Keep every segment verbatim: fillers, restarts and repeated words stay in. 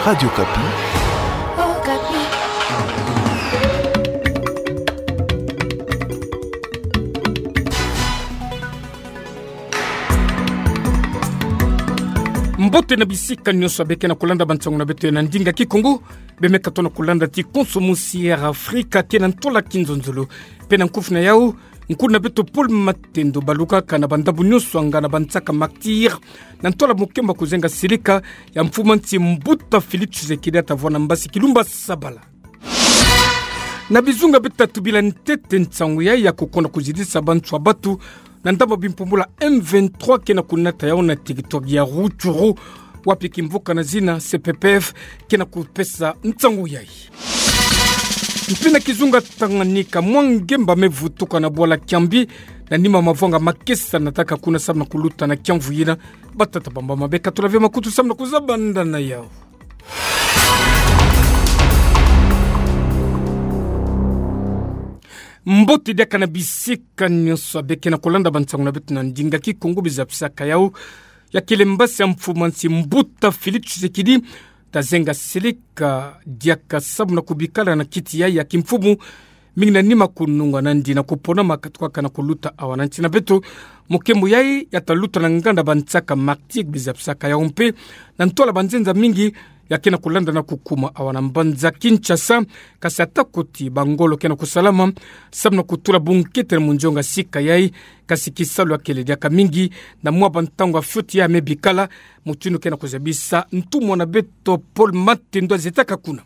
Radio Okapi. Mbote na bisika nyonso ya beke na kulanda bansangu na beto ya na ndinga Kikongo. Bemeka tona kulanda ti konso musi Air Afrika ke na ntola kinzonzolo. Pe na nkufi na yau, nkuna beto Paul Matendo balukaka na bandambu nyonso ya ngana bansaka martyrs na ntola mokemba kuzenga silika ya mfumu a nsi mbuta Félix Tshisekedi ta vwanda mbasi Kilumba Sabala. Na bizunga bitatu bila ntete nsangu yayi ya kukonda kuzidisa bantu ya batu na ndambu ya bimpumbulu ya M vingt-trois ke na kunata yau na territoire ya Rutshuru, wapi kimvuka na zina C P P F ke na kupesa nsangu yayi. Mpe na kizunga Tanganyika, mwa ngemba me vutuka na bwala Kiambi, na nima mavwanga makesa nataka kuna samu na kuluta na kiamvu yina. Batata bamama, beka tula ve makutu samu na kuzabanda na yau. Mbote diaka na bisika nyonso ya beke na kulanda bansangu na beto na ndinga Kikongo. Bizapisaka yau, ya kele mbasi ya mfumu a nsi mbuta Félix Tshisekedi ta zenga silika diaka samu na kubikala na kiti yayi ya kimfumu, mingi na nima kununga nandi na kuponama katukaka na kuluta awa na nsi na beto. Mokembo yayi ya ta luta na nganda bansaka martyrs, bizapisaka yau mpe na ntola banzenza mingi ya ke na kulanda na kukuma awa na mbanza Kinshasa. Kasi atako ti bangolo ke na kusalama samu na kutula bunkete na munzonga sika yayi, kasi kisalu ya kele diaka mingi. Na mwa bantangu ya fioti ya me bikala, mutindu ke na kuzabisa ntumwa na beto Paul Matendo azetaka kuna.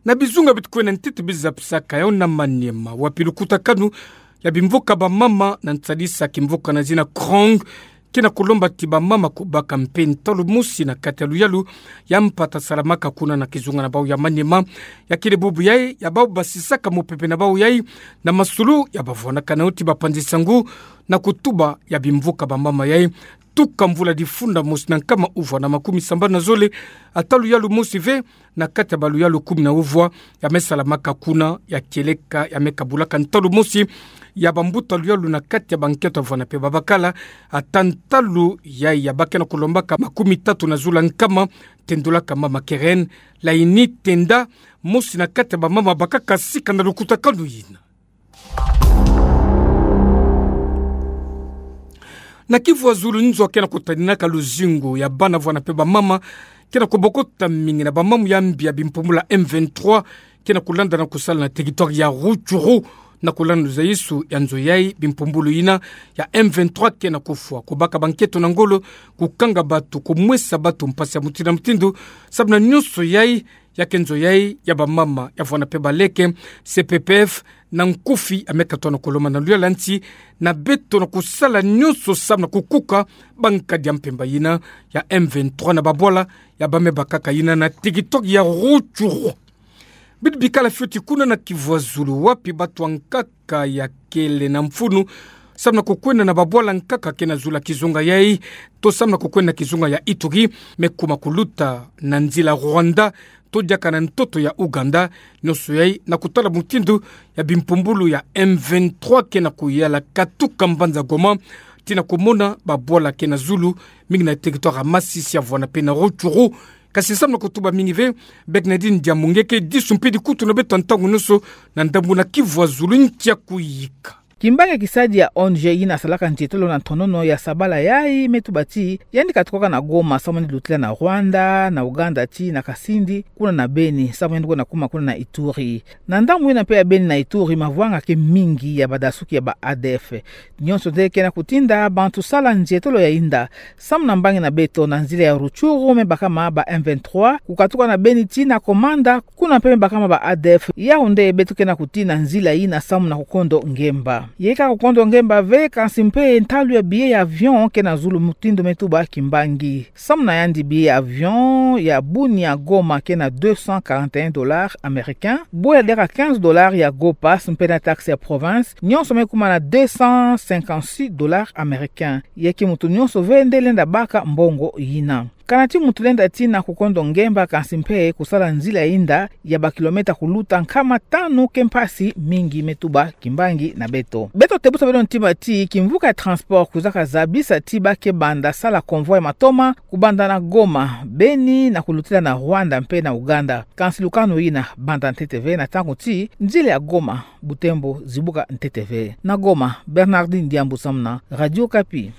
Na bizunga bitu kwenda ntete, bizapisaka yau na Maniema, wapi lukutakanu ya bimvuka bamama na nsadisa kimvuka na zina Krong ke na kulomba ti bamama kubaka mpe ntalu mosi na kati ya luyalu ya mpata salamaka kuna na kizunga na bau ya Maniema. Ya kele bubu yayi ya bau basisaka mupepe na bau yayi na masulu ya bavwanaka nao ti bapanzi sangu na kutuba ya bimvuka bamama yayi. Tuka mvula difunda mosi na nkama uvwa na makumi sambanu na zole, ata luyalu mosi ve na kati ya baluyalu kumi na uvwa ya me salamaka kuna, ya kieleka, ya me kabulaka ntalu mosi ya bambuta luyalu na kati ya bankento ya vwanda mpe babakala. Ata ntalu yayi ya ba ke na kulombaka makumi tatu na zulu ya nkama, tendulaka mama Keren Laini Tenda, mosi na kati ya bamama bakaka sika na lukutakanu yina. Na Kivu ya zulu, nzo ke na kutaninaka luzingu ya bana vwanda mpe bamama ke na kubokota mingi na bamamu ya mbi ya bimpumbulu ya M vingt-trois ke na kulanda na kusala na territoire ya Rutshuru. Na kulanda nzaisu ya nzo yayi, bimpumbulu yina ya M vingt-trois ke na kufwa, kubaka bankento na ngolo, kukanga batu, kumwesa batu mpasi ya mutindu na mutindu, samu na nyonso yayi ya ke nzo yayi ya bamama ya vwanda mpe baleke. C P P F na nkufi ya me katoa na kulomba na luyala nsi na beto na kusala nyonso samu na kukuka bankadi ya mpemba yina ya M vingt-trois na babwala ya ba me bakaka yina na territoire ya Rutshuru. Bitu bikala fioti kuna na Kivu ya zulu, wapi batu ya nkaka ya kele na mfunu samu na kukwenda na babwala nkaka ke na zulu ya kizunga yayi, to samu na kukwenda na kizunga ya Ituri, me kuma kuluta na nzila Rwanda, to diaka na ntoto ya Ouganda. Nyonso yayi na kutala mutindu ya bimpumbulu ya M vingt-trois ke na kuyala katuka mbanza Goma, tii na kumona babwala ke na zulu, mingi na territoire ya Masisi ya vwanda mpe na Rutshuru. Kasi samu na kutuba mingi ve, Bernardine Diamungeke, disu mpe dikutu na beto ya ntangu nyonso na ndambu na Kivu ya zulu, ntia kuyika. Kimbangi kisadi ya O N G yina salaka nzietolo na ntonono ya sabala yayi me tuba ti yandi katukaka na Goma samu yandi lutila na Rwanda, na Ouganda tii na Kasindi, kuna na Beni, samu yandi kwenda kuma kuna na Ituri. Na ndambu yina mpe ya Beni na Ituri, mavwanga ke mingi ya badasuki ya ba A D F. Nyonso nde ke na kutinda bantu sala nzietolo ya inda. Samu na mbangi na beto, na nzila ya Rutshuru me bakama ba M vingt-trois, kukatuka na Beni tii na Komanda, kuna mpe me bakama ba A D F. Yau nde beto ke na kutii na nzila yina samu na kukondo ngemba. Yeka kukondo ngemba ve, kansi mpe ntalu ya billet ya avion ke na zulu, mutindu me tuba Kimbangi. Samu na yandi, billet ya avion ya Bunia Goma ke na deux cent quarante et un dollars américains, bwe ya diaka quinze dollars ya Go Pass mpe na taxe ya province, nyonso me kuma na deux cent cinquante-six dollars américains. Ya ke mutu nyonso ve nde lenda baka mbongo yina. Kana ti mutu lenda tina kukondo ngemba, kansi mpe kusala nzila inda ya bakilometa kuluta nkama tanu ke mpasi mingi me tuba kimbangi na beto. Beto tebusa beno ntima ti kimvuka ya transport kwiza kazabisa ti ba ke banda sala convoi ya matoma kubanda na Goma, Beni na kulutila na Rwanda mpe na Uganda. Kansi lukanu yina banda ntete ve na ntangu ti nzila ya Goma Butembo zibuka ntete ve. Na Goma, Bernardine Diambu samu na Radio Okapi.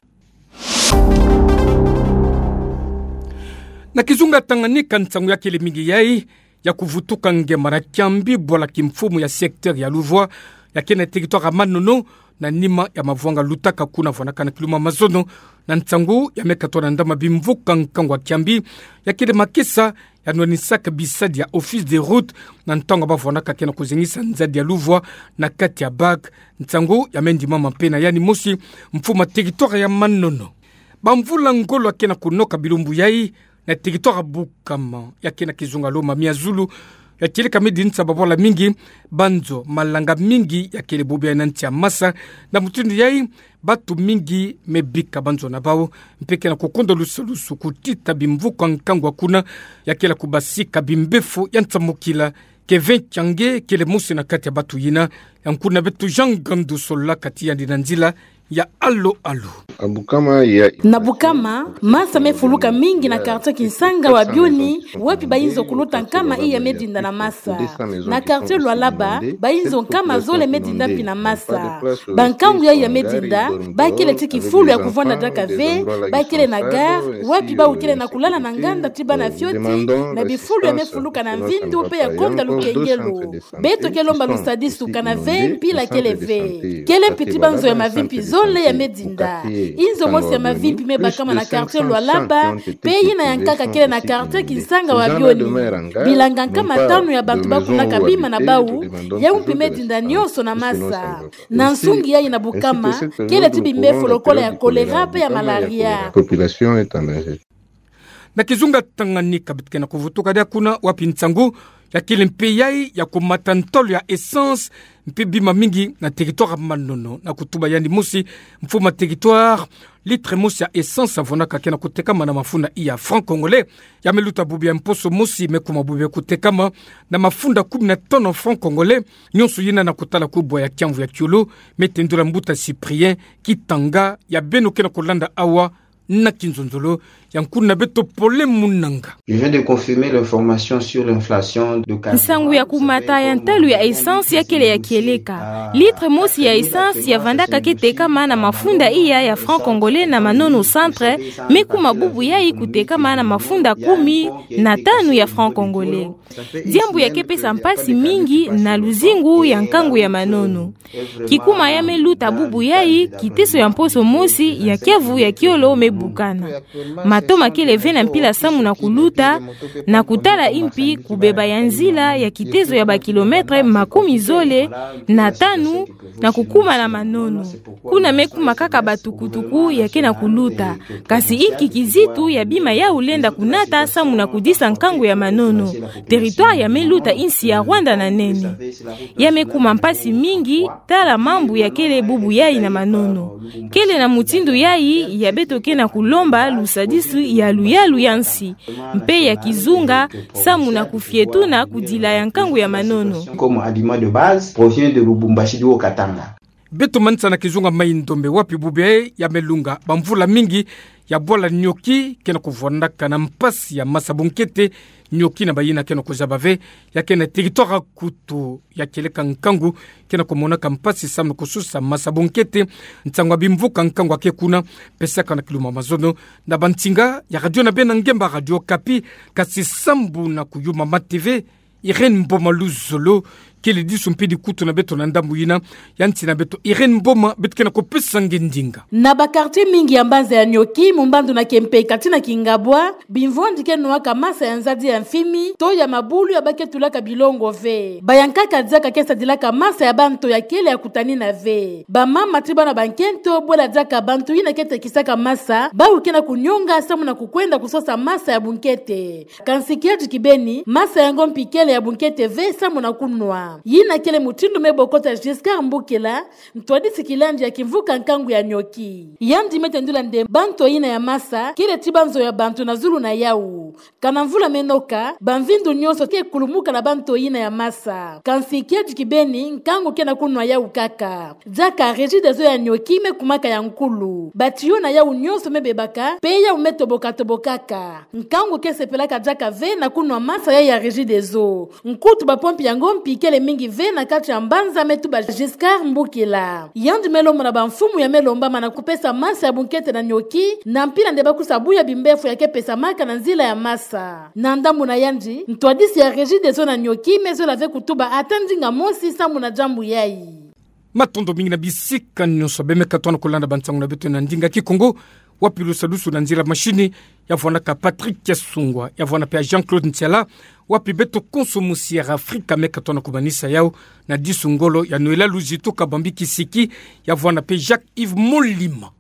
Na kizunga Tanganyika, nsangu ya kele mingi yai ya kuvutuka ngemba na kiambi bwala kimfumu ya secteur ya Luvwa, ya ke na territoire ya Manono, na nima ya mavwanga lutaka kuna vwanakana kiluma mazono, na nsangu ya me katwa na ndama bimvuka nkangu ya kiambi ya kele makesa ya nwanisaka bisadi ya Office des Routes, na ntangu ba vwanaka ke na kuzengisa nzadi ya Luvwa na kati ya bac. Nsangu ya me ndimama mpe na yandi mosi mfumu ya territoire ya Manono. Bamvula ngolo ya ke na kunoka bilumbu yai na territoire ya Bukama, ya ke na kizunga Lomami ya zulu, ya kieleka me dinisa babwala mingi, banzo malanga mingi ya kele bobo yai na nsi ya masa, na mutindu yai batu mingi me bika banzo na bau, mpe ke na kukondo lusalusu kutita bimvuka nkangu ya kuna, ya kele kubasika bimbefo ya nsamukila, Kevin Kiange kele mosi na kati ya batu yina, ya nkuna beto Jean Gandu solola kati yandi na nzila ya alo alo. Na Bukama, masa me fuluka mingi na quartier Kinsanga wa Bioni, wapi bayinzo kuluta nkama iya me dinda na masa. Na quartier Lualaba, bayinzo nkama zole me dinda mpi na masa. Bankangu yai ya me dinda, ba kele ti kifulu ya kuvwanda diaka ve, ba kele na gare, wapi bau kele na kulala na nganda ti bana fioti, na bifulu ya me fuluka na mvindu mpe ya konda lukengelo. Beto ke lomba lusadisu kana ve mpila kele ve. Kele mpi ti banzo ya mavimpi zole ya me dinda. Inzo mosi ya mavimpi me bakama na quartier Lualaba, mpe yina ya nkaka kele na quartier Kinsanga wa Bioni. Bilanga nkama tanu ya bantu bakunaka bima na bau, yau mpi me dinda nyonso na masa. Na nsungi yai na Bukama, kele ti bimbefo lokola ya choléra mpe ya malaria. Na kizunga Tanganyika beto ke na kuvutuka diaka kuna, wapi nsangu ya kele mpe yai ya kumata ntolo ya essence mpe bima mingi na territoire ya Manono, na kutuba yandi mosi mfumu ya territoire, litre mosi ya essence ya vwanaka ke na kutekama na mafunda iya franc congolais, ya me luta bubu ya mposo mosi me kuma bubu ya kutekama na mafunda kumi na tanu franc congolais, nyonso yina na kutala kubwa ya kiamvu ya kiolo, Me Tendula Mbuta Cyprien, Kitanga ya beno ke na kulanda awa na kinzonzolo, ya nkuna beto Pole Munanga. Je viens de confirmer l'information sur l'inflation de carburant. Nsangu ya kumata ya ntalo ya essence ya kele ya kieleka. Litre mosi ya essence ya vandaka ke tekama na mafunda iya ya franc congolais na Manono centre, me kuma bubu yai kutekama na mafunda kumi na tanu ya franc congolais. Diambu ya ke pesa mpasi mingi na luzingu ya nkangu ya Manono. Kikuma ya me luta bubu yai, kiteso ya mposo mosi ya kiamvu ya kiolo me bukana. Matoma kele ve na mpila samu na kuluta, na kutala mpi kubeba ya nzila ya kiteso ya ba kilomètre makumi zole na tanu na kukuma na Manono. Kuna me kuma kaka batukutuku ya ke na kuluta. Kasi inki kizitu ya bima yau lenda kunata samu na kudisa nkangu ya Manono? Territoire ya me luta insi ya Rwanda na nene. Ya me kuma mpasi mingi, tala mambu ya kele bubu yai na Manono. Kele na mutindu yai ya beto ke na kulomba lusadisu ya luyalu ya nsi, mpe ya kizunga, samu na kufietuna kudila ya nkangu ya Manono. Comme aliment de base provient de Lubumbashi du Haut-Katanga. Beto manisa na kizunga Mai-Ndombe, wapi bubu yai ya me lunga bamvula mingi, ya bwala nioki ke na kuvwandaka na mpasi ya masa bunkete, nioki na bayina ke na kuzaba ve, ya ke na territoire ya Kutu, ya kieleka nkangu ke na kumonaka mpasi samu na kususa masa bunkete, nsangu ya bimvuka nkangu ya ke kuna, pesaka na kiluma mazono na bansinga ya radio na beno ngemba Radio Okapi, kasi sambu na kuyuma mate ve, Irène Mboma Luzolo, kele disu mpe dikutu na beto na ndambu yina ya nsi na beto. Irène Mboma, beto ke na kupesa nge ndinga. Na ba quartier mingi ya mbanza ya Nioki, Mumbandu na Kiempeka tii na Kingabwa, bimvwandi ke nwaka masa ya nzadi ya mfimi, to ya mabulu ya ba ke tulaka bilongo ve. Bayankaka diaka ke sadilaka masa ya banto ya kele ya kutanina ve. Bamama tii bana bankento, bwela diaka bantu yina ke tekisaka masa, bawu ke na kunionga samu na kukwenda kusosa masa ya bunkete. Kansi kiadi kibeni, masa yango mpi kele ya bunkete ve samu na kunwa. Yina kele mutindu me bokota Giscard Mbukila, ntwadisi kilandi ya kimvuka nkangu ya nioki. Yandi me tendula nde ba nto yina ya masa kele tiba nzo ya bantu na zulu na yau. Kana mvula me noka, bamvindu nyonso ke kulumuka na ba nto yina ya masa. Kansi kiadi kibeni, nkangu ke na kunwa yau kaka. Diaka Regideso ya nioki me kumaka ya nkulu. Batiyo na yau nyonso me bebaka, pe yau me toboka-tobokaka. Nkangu ke sepelaka diaka ve na kunwa masa ya ya Regideso. Nkutu bapompe yango mpi kele mingi ve na kati ya mbanza me tuba Giscard Mbukila. Yandi me lomba na bamfumu ya me lombama na kupesa masa ya bunkete na nioki, na mpila nde ba kusa buya bimbefu ya ke pesamaka na nzila ya masa. Na ndambu na yandi, ntwadisi ya Regideso na nioki me zola ve kutuba ata ndinga mosi samu na diambu yai. Matondo mingi na bisika nyonso beno me katuhana kulanda bansangu na beto na ndinga Kikongo, wapi lusadusu na nzila mashini, ya vwanaka Patrick Kiasungwa, ya vwana pe ya Jean-Claude Ntiala, wapi beto konso mu Sierra Africa me katuhana kumanisa yau na disu ngolo ya Noëlla Luzitu Kabambi Kisiki, ya vwana pe Jacques Yves Molima.